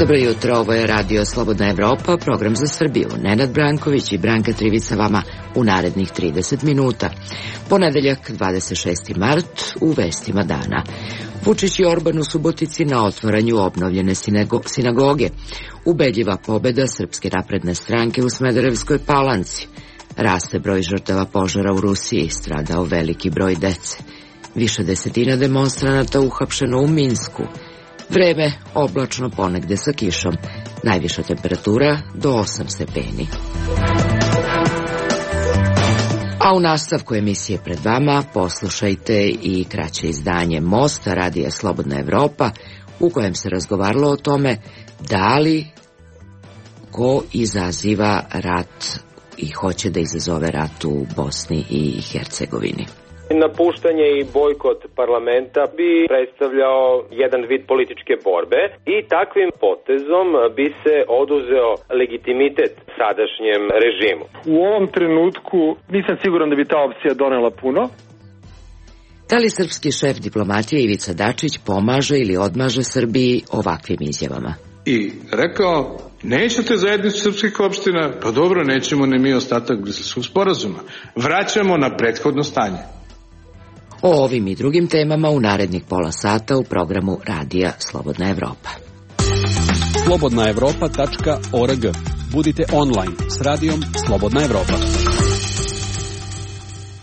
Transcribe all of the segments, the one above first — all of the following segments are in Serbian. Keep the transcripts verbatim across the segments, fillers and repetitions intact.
Dobro jutro, ovo je Radio Slobodna Evropa, program za Srbiju. Nenad Branković i Branka Trivica vama u narednih trideset minuta. Ponedeljak, dvadeset šesti mart, u vestima dana. Vučić i Orban u Subotici na otvaranju obnovljene sinagoge. Ubedljiva pobeda Srpske napredne stranke u Smederevskoj Palanci. Raste broj žrtava požara u Rusiji, stradao veliki broj dece. Više desetina demonstranata uhapšeno u Minsku. Vreme oblačno, ponegde sa kišom. Najviša temperatura do osam stepeni. A u nastavku emisije pred vama poslušajte i kraće izdanje Mosta Radija Slobodna Evropa, u kojem se razgovaralo o tome da li ko izaziva rat i hoće da izazove rat u Bosni i Hercegovini. Napuštanje i bojkot parlamenta bi predstavljao jedan vid političke borbe i takvim potezom bi se oduzeo legitimitet sadašnjem režimu. U ovom trenutku nisam siguran da bi ta opcija donela puno. Da li srpski šef diplomatije Ivica Dačić pomaže ili odmaže Srbiji ovakvim izjavama? I rekao, nećete zajednicu srpskih opština, pa dobro, nećemo ni mi ostatak Briselskog sporazuma. Vraćamo na prethodno stanje. O ovim i drugim temama u narednih pola sata u programu Radija Slobodna Evropa. slobodna evropa tačka org. Budite online s Radijom Slobodna Evropa.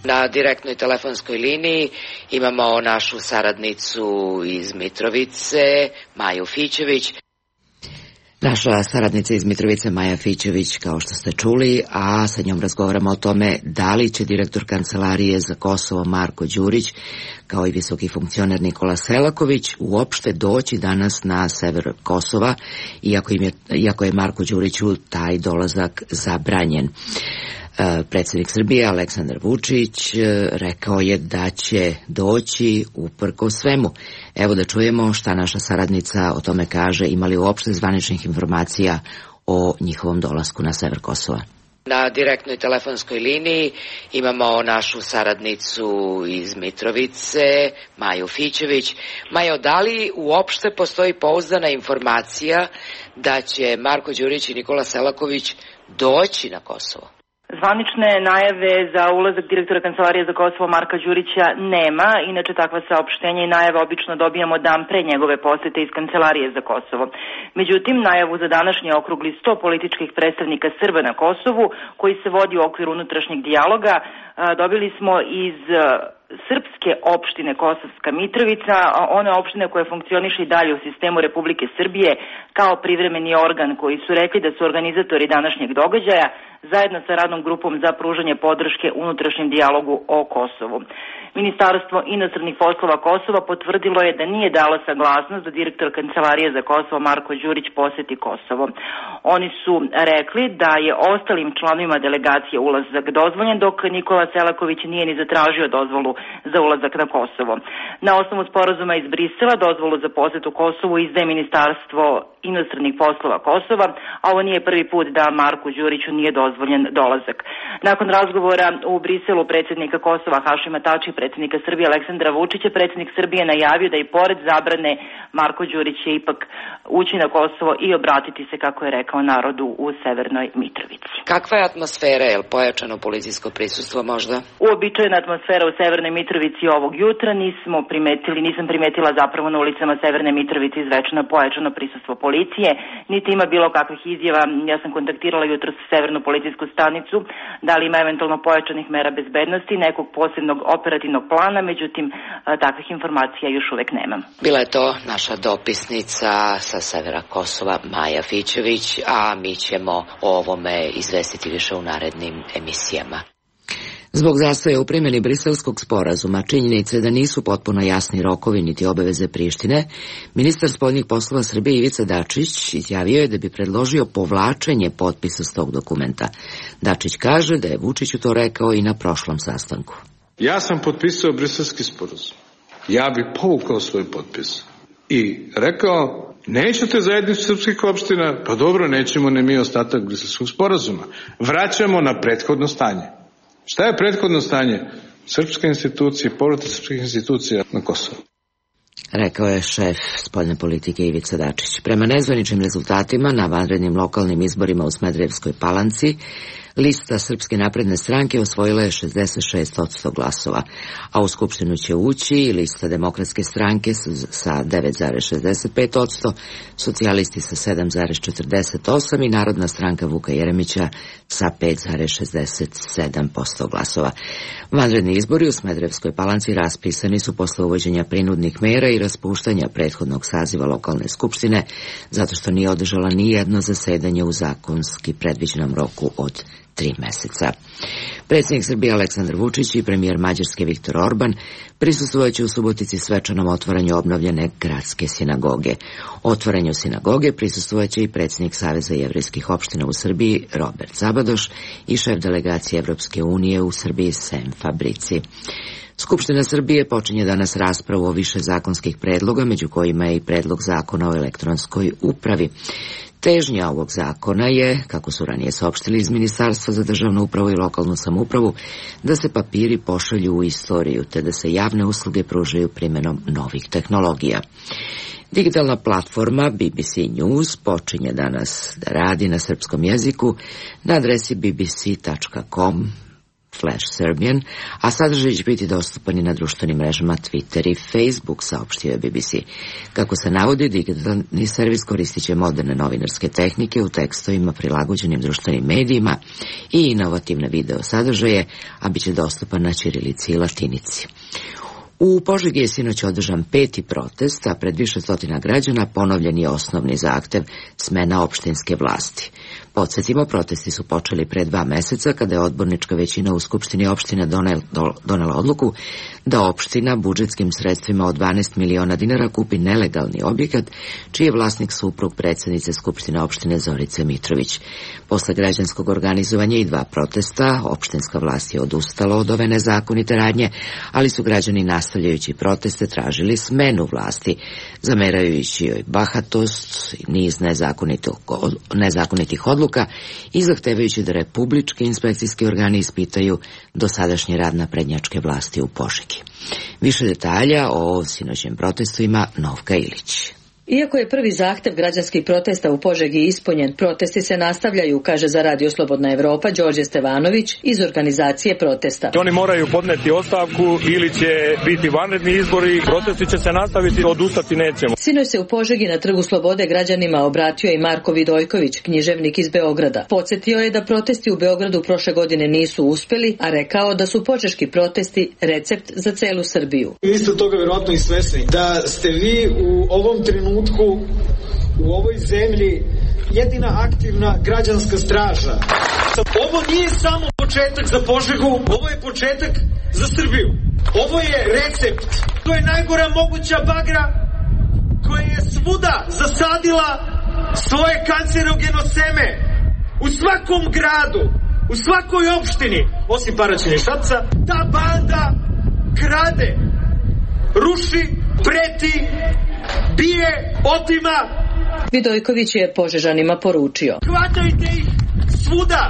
Na direktnoj telefonskoj liniji imamo našu saradnicu iz Mitrovice, Maju Fićević. Naša saradnica iz Mitrovice, Maja Fićević, kao što ste čuli, a sa njom razgovaramo o tome da li će direktor Kancelarije za Kosovo Marko Đurić, kao i visoki funkcioner Nikola Selaković, uopšte doći danas na sever Kosova, iako, im je, iako je Marko Đuriću taj dolazak zabranjen. Predsjednik Srbije Aleksandar Vučić rekao je da će doći uprko svemu. Evo da čujemo šta naša saradnica o tome kaže, ima li uopšte zvaničnih informacija o njihovom dolasku na sever Kosova. Na direktnoj telefonskoj liniji imamo našu saradnicu iz Mitrovice, Maju Fićević. Majo, da li uopšte postoji pouzdana informacija da će Marko Đurić i Nikola Selaković doći na Kosovo? Zvanične najave za ulazak direktora Kancelarije za Kosovo Marka Đurića nema, inače takva saopštenja i najave obično dobijamo dan pre njegove posete iz Kancelarije za Kosovo. Međutim, najavu za današnji okrugli sto političkih predstavnika Srba na Kosovu, koji se vodi u okviru unutrašnjeg dijaloga, dobili smo iz srpske opštine Kosovska Mitrovica, one opštine koje funkcioniše i dalje u sistemu Republike Srbije kao privremeni organ, koji su rekli da su organizatori današnjeg događaja zajedno sa radnom grupom za pružanje podrške unutrašnjem dijalogu o Kosovu. Ministarstvo inostranih poslova Kosova potvrdilo je da nije dalo saglasnost da direktor Kancelarije za Kosovo Marko Đurić poseti Kosovo. Oni su rekli da je ostalim članovima delegacije ulazak dozvoljen, dok Nikola Selaković nije ni zatražio dozvolu za ulazak na Kosovo. Na osnovu sporazuma iz Brisela dozvolu za posetu Kosovu izdaje Ministarstvo inostranih poslova Kosova, a ovo nije prvi put da Marku Đuriću nije dozvoljen dolazak. Nakon razgovora u Briselu predsjednika Kosova Hašima Tačija i predsjednika Srbije Aleksandra Vučića, predsjednik Srbije najavio da i pored zabrane Marko Đurić će ipak ući na Kosovo i obratiti se, kako je rekao, narodu u Severnoj Mitrovici. Kakva je atmosfera, je li pojačano policijsko prisustvo možda? Uobičajena atmosfera u Severnoj Mitrovici ovog jutra, nismo primetili, nisam primetila zapravo na ulicama Severne Mitrovice izvečeno pojačano prisustvo policije, niti ima bilo kakvih izjava. Ja sam kontaktirala jutro sa Severnu policijsku stanicu, da li ima eventualno pojačanih mera bezbednosti, nekog posebnog operativnog plana, međutim takvih informacija još uvek nemam. Bila je to naša dopisnica sa severa Kosova Maja Fićević, a mi ćemo o ovome izvestiti više u narednim emisijama. Zbog zastoja u primjeni Briselskog sporazuma, činjenice da nisu potpuno jasni rokovi niti obaveze Prištine, ministar spoljnih poslova Srbije Ivica Dačić izjavio je da bi predložio povlačenje potpisa s tog dokumenta. Dačić kaže da je Vučiću to rekao i na prošlom sastanku. Ja sam potpisao Briselski sporazum. Ja bih povukao svoj potpis i rekao, nećete zajednicu srpskih opština, pa dobro, nećemo ni mi ostatak Briselskog sporazuma. Vraćamo na prethodno stanje. Šta je prethodno stanje? Srpske institucije, povratak srpskih institucija na Kosovo. rekao je šef spoljne politike Ivica Dačić. Prema nezvaničnim rezultatima na vanrednim lokalnim izborima u Smederevskoj Palanci, lista Srpske napredne stranke osvojila je šezdeset šest posto glasova, a u Skupštinu će ući i lista Demokratske stranke sa devet zarez šezdeset pet posto, socijalisti sa sedam zarez četrdeset osam i Narodna stranka Vuka Jeremića sa pet zarez šezdeset sedam posto glasova. Vanredni izbori u Smederevskoj Palanci raspisani su posle uvođenja prinudnih mera i raspuštanja prethodnog saziva lokalne skupštine, zato što nije održala ni jedno zasedanje u zakonski predviđenom roku od tri meseca. Predsjednik Srbije Aleksandar Vučić i premijer Mađarske Viktor Orban prisustvovaće u Subotici svečanom otvaranju obnovljene gradske sinagoge. Otvaranju sinagoge prisustvovaće i predsjednik Saveza jevrejskih opština u Srbiji Robert Zabadoš i šef delegacije Evropske unije u Srbiji Sem Fabrici. Skupština Srbije počinje danas raspravu o više zakonskih predloga, među kojima je i predlog zakona o elektronskoj upravi. Težnja ovog zakona je, kako su ranije saopštili iz Ministarstva za državnu upravu i lokalnu samoupravu, da se papiri pošalju u istoriju, te da se javne usluge pružaju primjenom novih tehnologija. Digitalna platforma B B C News počinje danas da radi na srpskom jeziku na adresi b b c tačka com slash serbian, a sadržaj će biti dostupan i na društvenim mrežama Twitter i Facebook, saopštio je B B C. Kako se navodi, digitalni servis koristit će moderne novinarske tehnike u tekstovima prilagođenim društvenim medijima i inovativne video sadržaje, a bit će dostupan na ćirilici i latinici. U Požegi je sinoć održan peti protest, a pred više stotina građana ponovljen je osnovni zahtev smena opštinske vlasti. Podsjetimo, protesti su počeli pre dva meseca kada je odbornička većina u Skupštini opštine donela odluku da opština budžetskim sredstvima od dvanaest miliona dinara kupi nelegalni objekat, čiji je vlasnik suprug predsjednice Skupštine opštine Zorice Mitrović. Posle građanskog organizovanja i dva protesta, opštinska vlast je odustala od ove nezakonite radnje, ali su građani nastavljajući proteste tražili smenu vlasti, zamerajući joj bahatost i niz nezakonitih odluka i zahtevajući da republički inspekcijski organi ispitaju dosadašnji rad naprednjačke vlasti u Požegi. Više detalja o sinoćnim protestu ima Novka Ilić. Iako je prvi zahtev građanskih protesta u Požegi ispunjen, protesti se nastavljaju, kaže za Radio Slobodna Evropa Đorđe Stevanović iz organizacije protesta. Oni moraju podneti ostavku ili će biti vanredni izbori, protesti će se nastaviti, odustati nećemo. Sinoć se u Požegi na Trgu Slobode građanima obratio i Marko Vidojković, književnik iz Beograda. Podsjetio je da protesti u Beogradu prošle godine nisu uspeli, a rekao da su požeški protesti recept za celu Srbiju. Vi ste toga vjerojatno i svesni da ste vi u ovom trenutku u ovoj zemlji jedina aktivna građanska straža. Ovo nije samo početak za Požegu, ovo je početak za Srbiju. Ovo je recept. To je najgora moguća bagra koja je svuda zasadila svoje kancerogeno seme. U svakom gradu, u svakoj opštini, osim Paraćina i Šapca, ta banda krade, ruši, preti, bije, otima. Vidojković je Požežanima poručio: hvatajte ih svuda,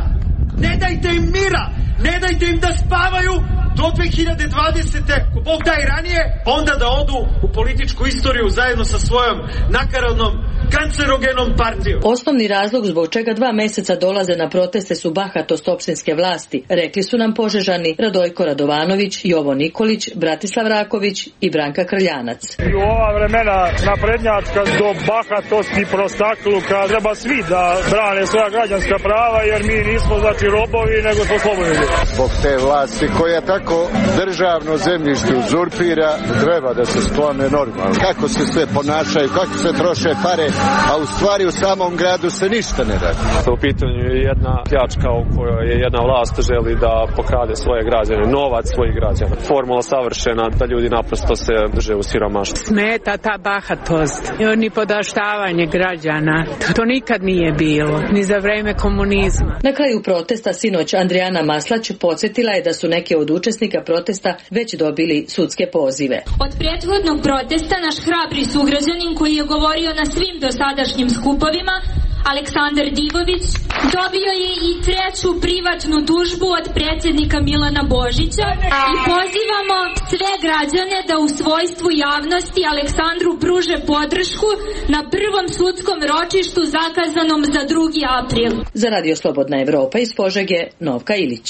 ne dajte im mira, ne dajte im da spavaju do dve hiljade dvadesete, ko Bog da i ranije, onda da odu u političku istoriju zajedno sa svojom nakaradnom kancerogenom partijom. Osnovni razlog zbog čega dva meseca dolaze na proteste su bahatost opštinske vlasti, rekli su nam Požežani Radojko Radovanović, Jovo Nikolić, Bratislav Raković i Branka Krljanac. I u ova vremena naprednjačka do bahatosti, prostakluka, treba svi da brane svoja građanska prava, jer mi nismo znači robovi, nego smo slobodni. Zbog te vlasti koja tako državno zemljište uzurpira, treba da se sklone normalno. Kako se sve ponašaju, kako se troše pare, a u stvari u samom gradu se ništa ne radi. U pitanju je jedna pljačka u kojoj je jedna vlast želi da pokrade svoje građane, novac svojih građana. Formula savršena da ljudi naprosto se drže u siromaštvu. Smeta ta bahatost i ni podaštavanje građana. To nikad nije bilo, ni za vreme komunizma. Na kraju protesta sinoć Andrijana Maslać podsjetila je da su neke od učesnika protesta već dobili sudske pozive. Od prethodnog protesta naš hrabri sugrađanin koji je govorio na svim dosadašnjim skupovima, Aleksandar Digović dobio je i treću privatnu tužbu od predsjednika Milana Božića i pozivamo sve građane da u svojstvu javnosti Aleksandru pruže podršku na prvom sudskom ročištu zakazanom za drugi april. Za Radio Slobodna Evropa iz Požege, Novka Ilić.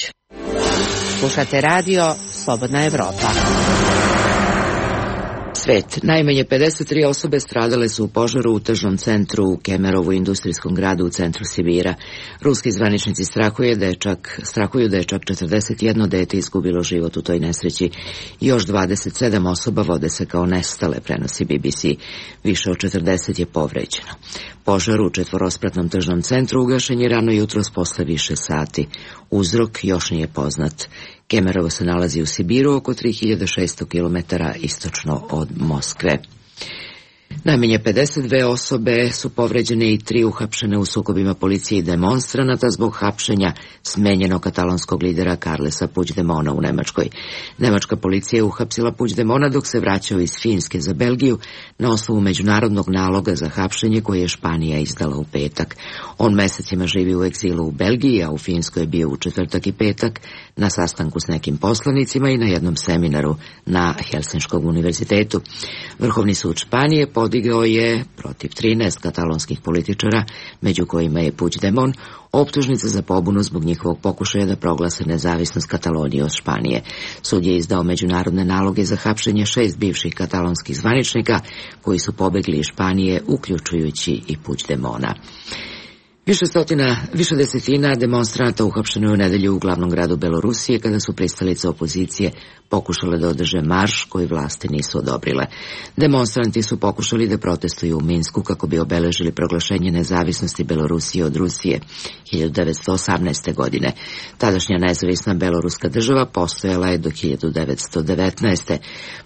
Slušate radio Slobodna Evropa. Svet. Najmanje pedeset tri osobe stradale su u požaru u tržnom centru u Kemerovu, industrijskom gradu u centru Sibira. Ruski zvaničnici strahuju da je čak, strahuju da je čak četrdeset jedno dete izgubilo život u toj nesreći. Još dvadeset sedam osoba vode se kao nestale, prenosi B B C. Više od četrdeset je povređeno. Požar u četvorospratnom tržnom centru ugašen je rano jutros posle više sati. Uzrok još nije poznat. Kemerovo se nalazi u Sibiru, oko tri hiljade šesto kilometara istočno od Moskve. Najmanje pedeset dve osobe su povređene i tri uhapšene u sukobima policije i demonstranata zbog hapšenja smenjenog katalonskog lidera Carlesa Puigdemona u Nemačkoj. Nemačka policija je uhapsila Puigdemona dok se vraćao iz Finske za Belgiju na osnovu međunarodnog naloga za hapšenje koje je Španija izdala u petak. On mesecima živi u egzilu u Belgiji, a u Finskoj je bio u četvrtak i petak na sastanku s nekim poslanicima i na jednom seminaru na Helsinškom univerzitetu. Vrhovni sud Španije podigao je protiv trinaest katalonskih političara, među kojima je Puigdemon, optužnice za pobunu zbog njihovog pokušaja da proglase nezavisnost Katalonije od Španije. Sud je izdao međunarodne naloge za hapšenje šest bivših katalonskih zvaničnika koji su pobegli iz Španije, uključujući i Puigdemona. Više stotina, više desetina demonstranata uhapšeno je u nedelju u glavnom gradu Belorusije kada su pristalice opozicije pokušale da održe marš koji vlasti nisu odobrile. Demonstranti su pokušali da protestuju u Minsku kako bi obeležili proglašenje nezavisnosti Belorusije od Rusije hiljadu devetsto osamnaeste. godine. Tadašnja nezavisna beloruska država postojala je do hiljadu devetsto devetnaeste.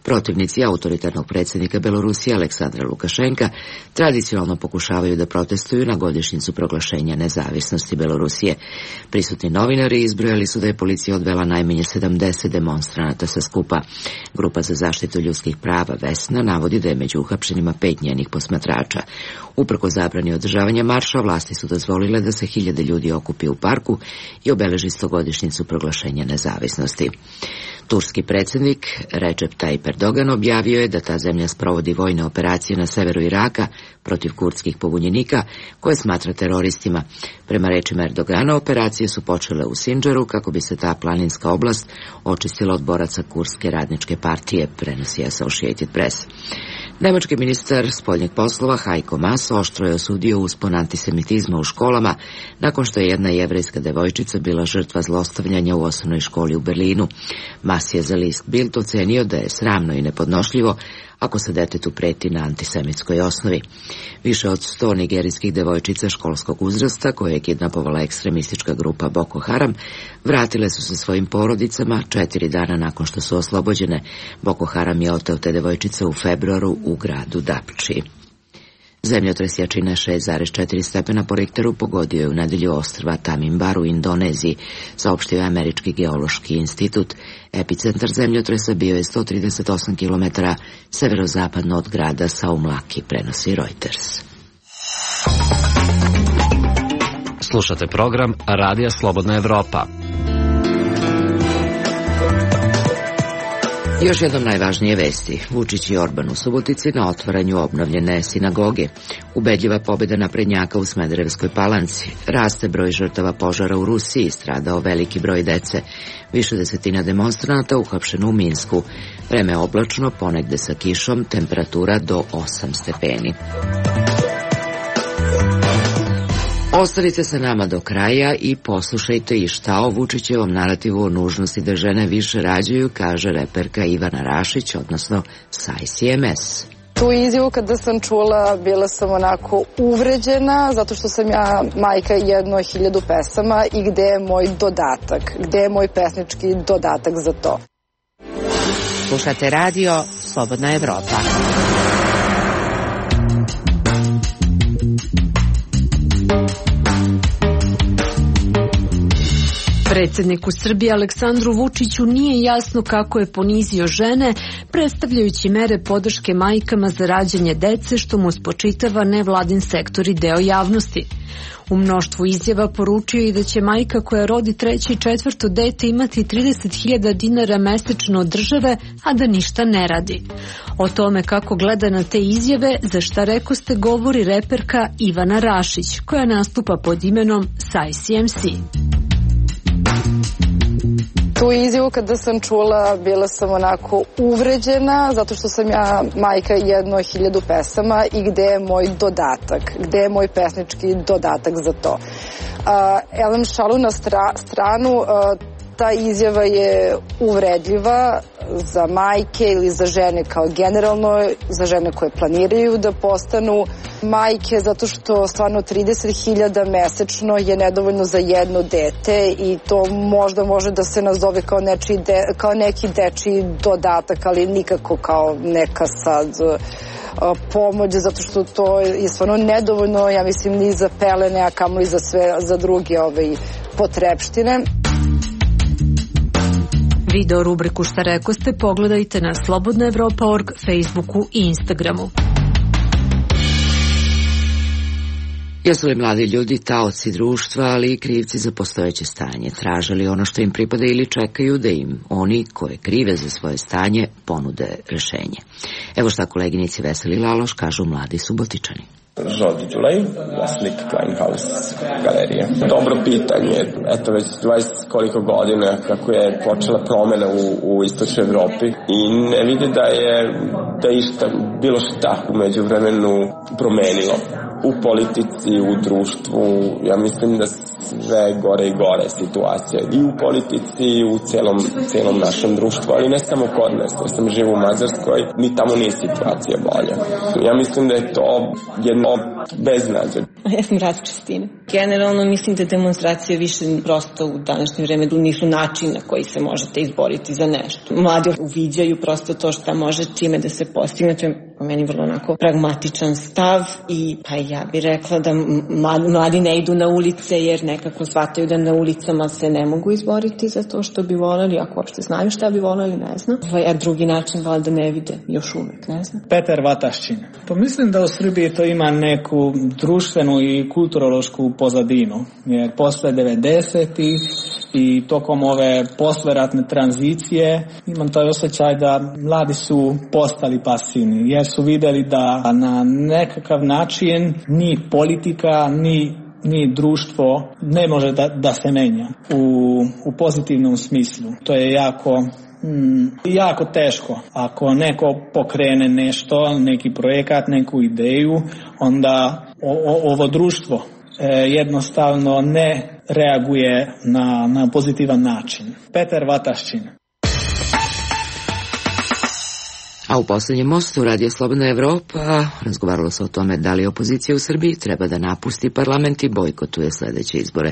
Protivnici autoritarnog predsjednika Belorusije Aleksandra Lukašenka tradicionalno pokušavaju da protestuju na godišnjicu proglašenja nezavisnosti Belorusije. Prisutni novinari izbrojali su da je policija odvela najmanje sedamdeset demonstranata sa skupa. Grupa za zaštitu ljudskih prava Vesna navodi da je među uhapšenima pet njenih posmatrača. Uprkos zabrani održavanja marša, vlasti su dozvolile da se hiljade ljudi okupi u parku i obeleži stogodišnjicu proglašenja nezavisnosti. Turski predsjednik Recep Tayyip Erdogan objavio je da ta zemlja sprovodi vojne operacije na severu Iraka protiv kurdskih pobunjenika koje smatra teroristima. Prema rečima Erdogana, operacije su počele u Sindžaru kako bi se ta planinska oblast očistila od boraca Kurdske radničke partije, prenosi Associated Press. Nemački ministar spoljnih poslova Heiko Maas oštro je osudio uspon antisemitizma u školama nakon što je jedna jevrejska devojčica bila žrtva zlostavljanja u osnovnoj školi u Berlinu. Maas je za list Bild ocenio da je sramno i nepodnošljivo ako se detetu preti na antisemitskoj osnovi. Više od sto nigerijskih devojčica školskog uzrasta, koje je kidnapovala ekstremistička grupa Boko Haram, vratile su se svojim porodicama četiri dana nakon što su oslobođene. Boko Haram je oteo te devojčice u februaru u gradu Dapči. Zemljotres jačine šest zarez četiri stepena po Richteru pogodio je u nedelju ostrva Tanimbar u Indoneziji, saopštio je Američki geološki institut. Epicentar zemljotresa bio je sto trideset osam kilometara severozapadno od grada Saumlaki, prenosi Reuters. Slušate program Radija Slobodna Evropa. Još jednom najvažnije vesti. Vučić i Orban u Subotici na otvaranju obnovljene sinagoge. Ubedljiva pobjeda naprednjaka u Smederevskoj Palanci. Raste broj žrtava požara u Rusiji, stradao veliki broj dece. Više desetina demonstranata uhapšeno u Minsku. Vreme oblačno, ponegde sa kišom, temperatura do osam stepeni. Ostanite sa nama do kraja i poslušajte i šta o Vučićevom narativu o nužnosti da žene više rađaju, kaže reperka Ivana Rašić, odnosno Saj C M S. Tu izjavu kada sam čula, bila sam onako uvređena, zato što sam ja majka jedno hiljadu pesama i gde je moj dodatak, gde je moj pesnički dodatak za to. Slušate radio Slobodna Evropa. Predsjedniku Srbije Aleksandru Vučiću nije jasno kako je ponizio žene, predstavljajući mere podrške majkama za rađanje dece, što mu spočitava nevladin sektor i deo javnosti. U mnoštvu izjava poručio i da će majka koja rodi treće i četvrto dete imati trideset hiljada dinara mesečno od države, a da ništa ne radi. O tome kako gleda na te izjave, za šta rekoste, govori reperka Ivana Rašić, koja nastupa pod imenom Saj C M C. Tu izjavu kada sam čula, bila sam onako uvređena, zato što sam ja majka jedno hiljadu pesama i gde je moj dodatak, gde je moj pesnički dodatak za to. Uh, elem šalu na stra, stranu, uh, ta izjava je uvredljiva za majke ili za žene kao generalno, za žene koje planiraju da postanu majke, zato što stvarno trideset hiljada mesečno je nedovoljno za jedno dete i to možda može da se nazove kao, nečiji de, kao neki dečiji dodatak, ali nikako kao neka sad pomoć, zato što to je stvarno nedovoljno, ja mislim, ni za pelene, a kamoli za sve, za druge ove potrepštine. Video rubriku Šta rekoste pogledajte na slobodna evropa tačka org, Facebooku i Instagramu. Jesu li mladi ljudi taoci društva, ali i krivci za postojeće stanje? Traže li ono što im pripada ili čekaju da im oni koje krive za svoje stanje ponude rešenje? Evo šta koleginici Veseli Laloš kažu mladi Subotičani. Žorđe Đulej, vlasnik Kleinhaus galerije. Dobro pitanje. Eto već dvadeset koliko godina kako je počela promena u, u istočnoj Evropi i ne vidi da je da išta, bilo šta umeđu vremenu promenilo. U politici, u društvu, ja mislim da sve gore i gore situacija. I u politici, i u celom, celom našem društvu, ali ne samo kod nas. Ja sam živ u Mađarskoj, ni tamo nije situacija bolja. Ja mislim da je to jedno beznađe. Ja sam razčistina. Generalno mislim da demonstracije više prosto u današnje vreme nisu način na koji se možete izboriti za nešto. Mladi uviđaju prosto to šta može čime da se postigne. To je po meni vrlo onako pragmatičan stav i pa ja bih rekla da mladi ne idu na ulice jer nekako shvataju da na ulicama se ne mogu izboriti za to što bi voljeli, ako uopšte znaju šta bi voljeli, ne znam. A drugi način valjda ne vide, još uvek, ne znam. Petar Vatašćin. Pa mislim da u Srbiji to ima neku društvenu i kulturološku pozadinu, jer posle devedesetih i tokom ove posleratne tranzicije imam taj osjećaj da mladi su postali pasivni, jer su videli da na nekakav način ni politika, ni, ni društvo ne može da, da se menja u, u pozitivnom smislu. To je jako, mm, jako teško. Ako neko pokrene nešto, neki projekat, neku ideju, onda o, o, ovo društvo e, jednostavno ne reaguje na, na pozitivan način. Petar Vatašćin. A u posljednjem mostu Radio Slobodna Evropa razgovaralo se o tome da li opozicija u Srbiji treba da napusti parlament i bojkotuje sljedeće izbore.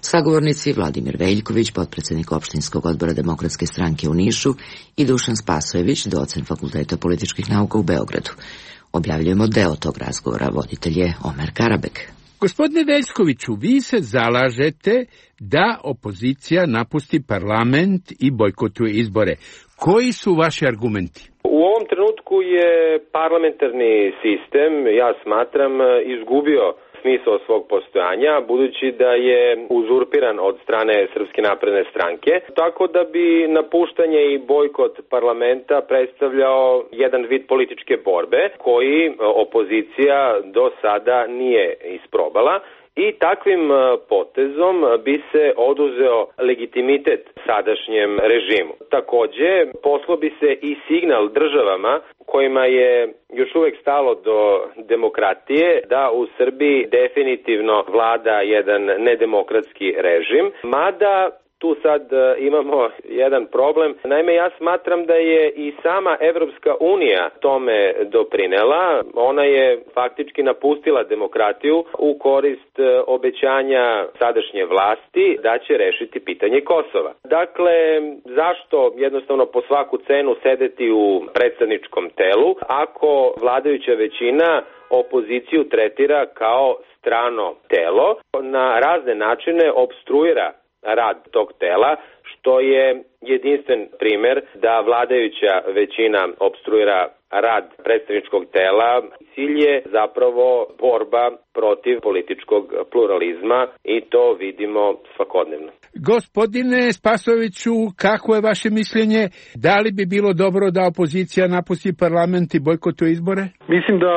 Sagovornici Vladimir Veljković, potpredsjednik opštinskog odbora Demokratske stranke u Nišu, i Dušan Spasojević, docent Fakulteta političkih nauka u Beogradu. Objavljujemo deo tog razgovora, voditelj je Omer Karabek. Gospodine Veljkoviću, vi se zalažete da opozicija napusti parlament i bojkotuje izbore. Koji su vaši argumenti? U ovom trenutku je parlamentarni sistem, ja smatram, izgubio smisao svog postojanja, budući da je uzurpiran od strane Srpske napredne stranke, tako da bi napuštanje i bojkot parlamenta predstavljao jedan vid političke borbe koji opozicija do sada nije isprobala. I takvim potezom bi se oduzeo legitimitet sadašnjem režimu. Takođe, poslao bi se i signal državama kojima je još uvek stalo do demokratije da u Srbiji definitivno vlada jedan nedemokratski režim, mada tu sad imamo jedan problem. Naime, ja smatram da je i sama Evropska unija tome doprinela. Ona je faktički napustila demokratiju u korist obećanja sadašnje vlasti da će rešiti pitanje Kosova. Dakle, zašto jednostavno po svaku cenu sedeti u predstavničkom telu ako vladajuća većina opoziciju tretira kao strano telo, na razne načine opstruira rad tog tela, što je jedinstven primer da vladajuća većina opstruira rad predstavničkog tela. Cilj je zapravo borba protiv političkog pluralizma i to vidimo svakodnevno. Gospodine Spasojeviću, kako je vaše mišljenje? Da li bi bilo dobro da opozicija napusti parlament i bojkotuje izbore? Mislim da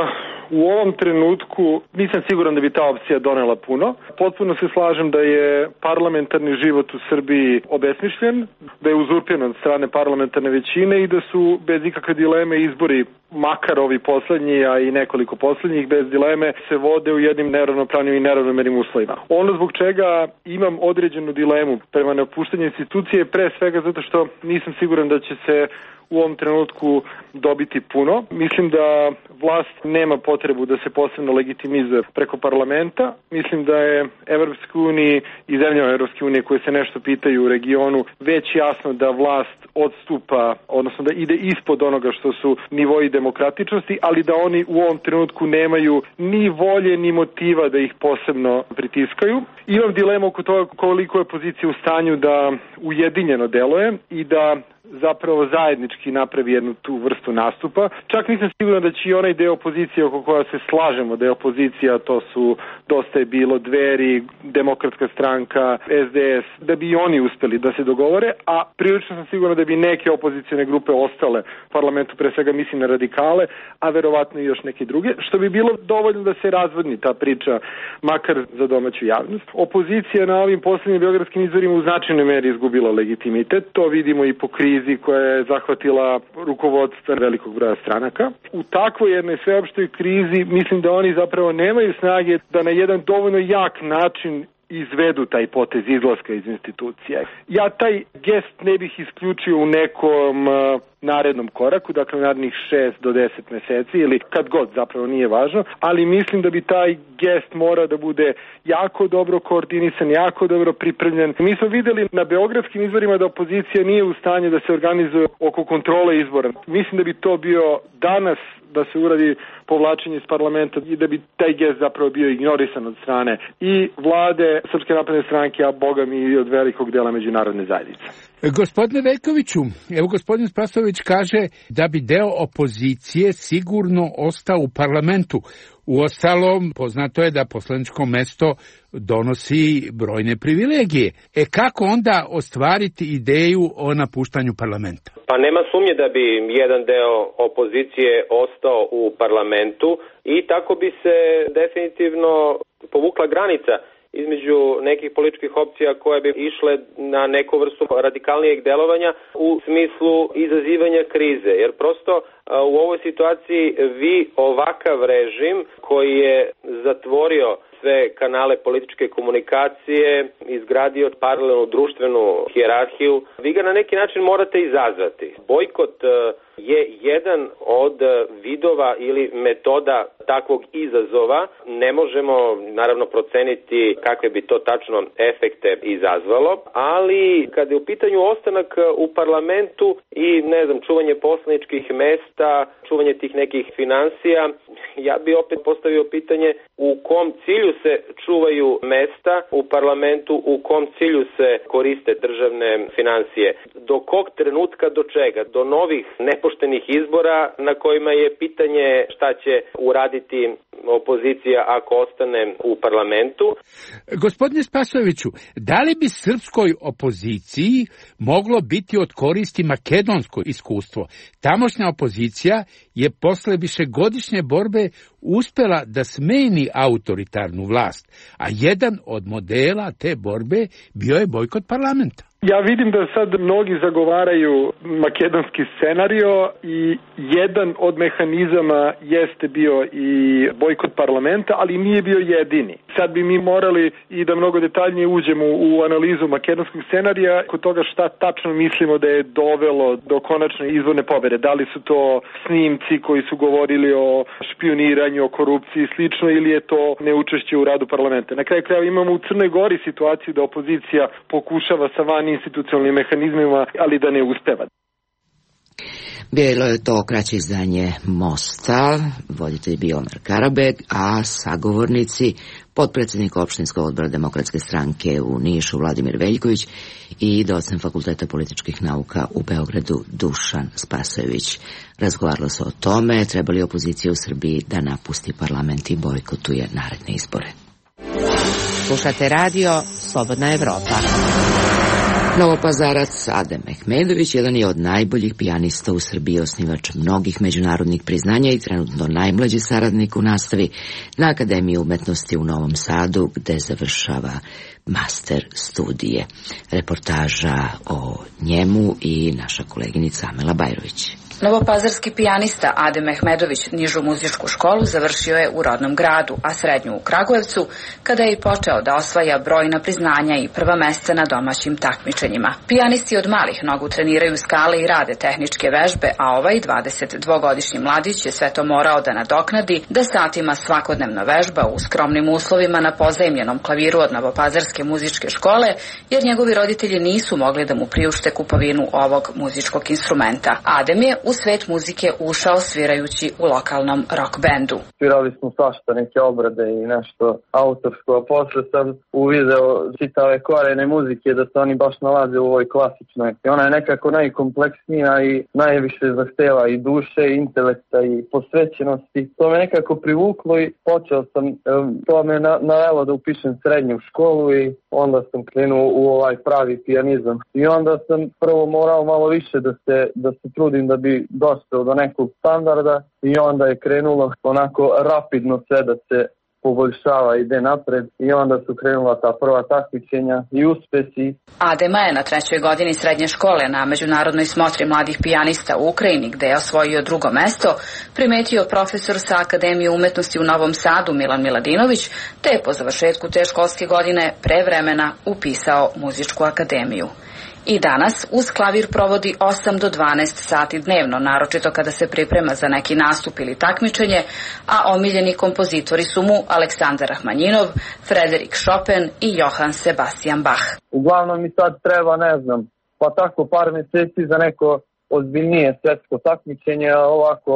u ovom trenutku nisam siguran da bi ta opcija donela puno. Potpuno se slažem da je parlamentarni život u Srbiji obesmišljen, da je uzurpiran od strane parlamentarne većine i da su bez ikakve dileme izbori, makar ovi poslednji, a i nekoliko poslednjih, bez dileme se vode u jednim neravnopravnim i neravnomernim uslovima. Ono zbog čega imam određenu dilemu prema napuštanju institucije, pre svega zato što nisam siguran da će se u ovom trenutku dobiti puno. Mislim da vlast nema potrebu da se posebno legitimizuje preko parlamenta. Mislim da je Evropskoj uniji i zemljama Evropske unije koje se nešto pitaju u regionu već jasno da vlast odstupa, odnosno da ide ispod onoga što su nivoji demokratičnosti, ali da oni u ovom trenutku nemaju ni volje ni motiva da ih posebno pritiskaju. Imam dilemu oko toga koliko je pozicija u stanju da ujedinjeno deluje i da zapravo zajednički napravi jednu tu vrstu nastupa. Čak nisam siguran da će i onaj deo opozicije oko koja se slažemo da je opozicija, to su Dosta je bilo, Dveri, Demokratska stranka, es de es, da bi i oni uspeli da se dogovore, a prilično sam siguran da bi neke opozicijne grupe ostale u parlamentu, pre svega mislim na radikale, a verovatno i još neke druge, što bi bilo dovoljno da se razvodni ta priča, makar za domaću javnost. Opozicija na ovim poslednjim beogradskim izborima u značajnoj meri izgubila legitimitet, to vidimo i po krizi koja je zahvatila rukovodstva velikog broja stranaka. U takvoj jednoj sveopštoj krizi mislim da oni zapravo nemaju snage da na jedan dovoljno jak način izvedu taj potez izlaska iz institucija. Ja taj gest ne bih isključio u nekom uh, narednom koraku, dakle narednih šest do deset meseci ili kad god, zapravo nije važno, ali mislim da bi taj gest mora da bude jako dobro koordinisan, jako dobro pripremljen. Mi smo videli na beogradskim izborima da opozicija nije u stanju da se organizuje oko kontrole izbora. Mislim da bi to bio danas da se uradi povlačenje iz parlamenta i da bi taj gest zapravo bio ignorisan od strane i vlade Srpske napredne stranke, a boga mi i od velikog dela međunarodne zajednice. Gospodine Veljkoviću, evo gospodin Spasojević kaže da bi deo opozicije sigurno ostao u parlamentu. Uostalom, poznato je da poslaničko mesto donosi brojne privilegije. E kako onda ostvariti ideju o napuštanju parlamenta? Pa nema sumnje da bi jedan deo opozicije ostao u parlamentu i tako bi se definitivno povukla granica između nekih političkih opcija koje bi išle na neku vrstu radikalnijeg delovanja u smislu izazivanja krize. Jer prosto u ovoj situaciji vi ovakav režim koji je zatvorio sve kanale političke komunikacije, izgradio paralelnu društvenu hijerarhiju, vi ga na neki način morate izazvati. Bojkot je jedan od vidova ili metoda takvog izazova. Ne možemo naravno proceniti kakve bi to tačno efekte izazvalo, ali kada je u pitanju ostanak u parlamentu i ne znam, čuvanje poslaničkih mesta, čuvanje tih nekih financija, ja bi opet postavio pitanje u kom cilju se čuvaju mesta u parlamentu, u kom cilju se koriste državne financije. Do kog trenutka, do čega? Do novih nepoštenih izbora na kojima je pitanje šta će uraditi opozicija ako ostane u parlamentu. Gospodine Spasojeviću, da li bi srpskoj opoziciji moglo biti od koristi makedonsko iskustvo? Tamošnja opozicija je posle višegodišnje borbe uspela da smeni autoritarnu vlast, a jedan od modela te borbe bio je bojkot parlamenta. Ja vidim da sad mnogi zagovaraju makedonski scenario i jedan od mehanizama jeste bio i bojkot parlamenta, ali nije bio jedini. Sad bi mi morali i da mnogo detaljnije uđemo u analizu makedonskog scenarija kod toga šta tačno mislimo da je dovelo do konačne izborne pobede. Da li su to snimci koji su govorili o špioniranju, o korupciji i slično, ili je to neučešće u radu parlamenta. Na kraju krajeva imamo u Crnoj Gori situaciju da opozicija pokušava sa van institucionalnim mehanizmima, ali da ne uspeva. Bilo je to kraće izdanje Mosta, voditelj bio Omer Karabeg, a sagovornici potpredsjednik opštinskog odbora Demokratske stranke u Nišu Vladimir Veljković i docent Fakulteta političkih nauka u Beogradu Dušan Spasojević. Razgovaralo se o tome treba li opozicija u Srbiji da napusti parlament i bojkotuje naredne izbore. Slušate radio Slobodna Evropa. Novopazarac Adem Mehmedović jedan je od najboljih pijanista u Srbiji, osnivač mnogih međunarodnih priznanja i trenutno najmlađi saradnik u nastavi na Akademiji umetnosti u Novom Sadu, gde završava master studije. Reportaža o njemu i naša koleginica Amela Bajrović. Novopazarski pijanista Adem Mehmedović nižu muzičku školu završio je u rodnom gradu, a srednju u Kragujevcu, kada je i počeo da osvaja brojna priznanja i prva mesta na domaćim takmičenjima. Pijanisti od malih nogu treniraju skale i rade tehničke vežbe, a ovaj dvadesetdvogodišnji mladić je sve to morao da nadoknadi, da satima svakodnevno vežba u skromnim uslovima na pozajmljenom klaviru od Novopazarske muzičke škole, jer njegovi roditelji nisu mogli da mu priušte kupovinu ovog muzičkog instrumenta. Adem je u svet muzike ušao svirajući u lokalnom rock bendu. Svirali smo svašta, neke obrade i nešto autorsko, a posle sam uvideo čitave korene muzike da se oni baš nalaze u ovoj klasičnoj. I ona je nekako najkompleksnija i najviše zahteva i duše, i intelekta i posvećenosti. To me nekako privuklo i počeo sam, to me navelo da upišem srednju školu i onda sam krenuo u ovaj pravi pijanizam. I onda sam prvo morao malo više da se, da se trudim da bi došao do nekog standarda i onda je krenulo onako rapidno sve da se poboljšava, ide napred i onda su krenula ta prva takmičenja i uspesi. Adema je na trećoj godini srednje škole na međunarodnoj smotri mladih pijanista u Ukrajini, gde je osvojio drugo mesto, primetio profesor sa Akademije umetnosti u Novom Sadu Milan Miladinović, te je po završetku te školske godine pre vremena upisao muzičku akademiju. I danas uz klavir provodi osam do dvanaest sati dnevno, naročito kada se priprema za neki nastup ili takmičenje, a omiljeni kompozitori su mu Aleksandar Rahmanjinov, Frederik Chopin i Johann Sebastian Bach. Uglavnom mi sad treba, ne znam, pa tako par meseci za neko ozbiljnije svetsko takmičenje, a ovako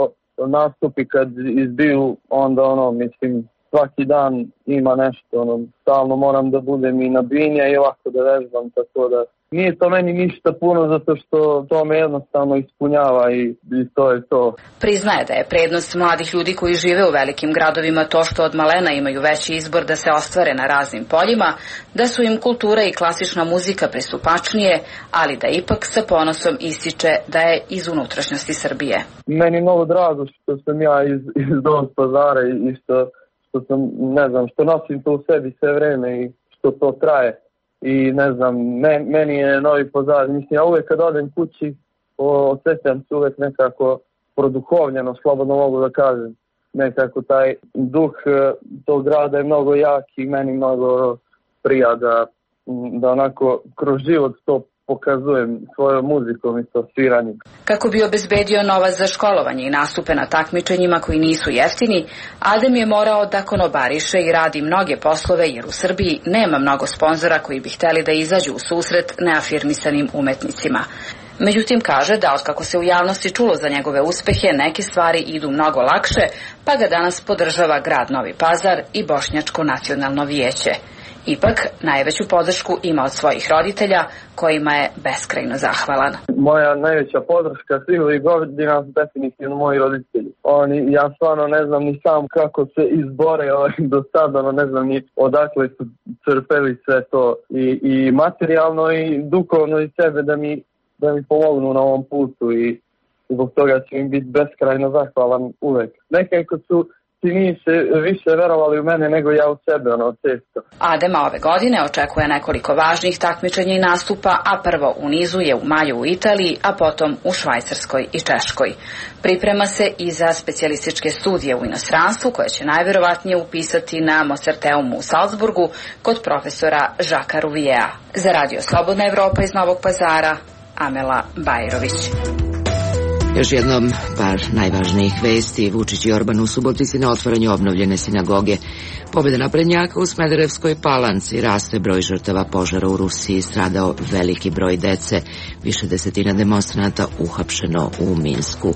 nastupi kad izbiju, onda ono, mislim, svaki dan ima nešto, ono, stalno moram da budem i na binja i ovako da vežbam, tako da nije to meni ništa puno zato što to me jednostavno ispunjava i, i to je to. Priznaje da je prednost mladih ljudi koji žive u velikim gradovima to što od malena imaju veći izbor da se ostvare na raznim poljima, da su im kultura i klasična muzika pristupačnije, ali da ipak sa ponosom ističe da je iz unutrašnjosti Srbije. Meni je mnogo drago što sam ja iz, iz Novog Pazara i što, što sam, ne znam, što nosim to u sebi sve vreme i što to traje. I ne znam, men, meni je Novi Pazar, mislim, ja uvek kad odem kući, osjećam se uvek nekako produhovljeno, slobodno mogu da kažem. Nekako taj duh tog grada je mnogo jak i meni mnogo prija da, da onako kroz život to pokazujem svojom muzikom i to sviranjem. Kako bi obezbedio novac za školovanje i nastupe na takmičenjima koji nisu jeftini, Adem je morao da konobariše i radi mnoge poslove jer u Srbiji nema mnogo sponzora koji bi hteli da izađu u susret neafirmisanim umetnicima. Međutim, kaže da otkako se u javnosti čulo za njegove uspehe, neke stvari idu mnogo lakše, pa ga danas podržava grad Novi Pazar i Bošnjačko nacionalno vijeće. Ipak, najveću podršku ima od svojih roditelja, kojima je beskrajno zahvalan. Moja najveća podrška svih ovih godina su definitivno moji roditelji. Oni, ja stvarno ne znam ni sam kako se izbore ovaj, do sada, ne znam ni odakle su crpeli sve to i, i materijalno i duhovno i sebe da mi, da mi pomognu na ovom putu i zbog toga ću im biti beskrajno zahvalan uvek. Nekako su ti nisi više verovali u mene nego ja u sebe, ono, često. Adema ove godine očekuje nekoliko važnih takmičenja i nastupa, a prvo u nizu je u maju u Italiji, a potom u Švajcarskoj i Češkoj. Priprema se i za specijalističke studije u inostranstvu, koje će najverovatnije upisati na Mozarteumu u Salzburgu kod profesora Žaka Ruvijea. Za Radio Slobodna Evropa iz Novog Pazara, Amela Bajrović. Još jednom par najvažnijih vesti. Vučić i Orban u Subotici na otvaranju obnovljene sinagoge. Pobjeda naprednjaka u Smederevskoj Palanci, raste broj žrtava požara u Rusiji, stradao veliki broj dece, više desetina demonstranata uhapšeno u Minsku.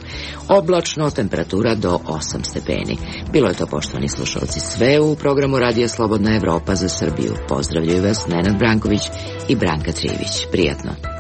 Oblačno, temperatura do osam stepeni. Bilo je to, poštovani slušalci, sve u programu Radija Slobodna Evropa za Srbiju. Pozdravljaju vas Nenad Branković i Branka Trivić. Prijatno.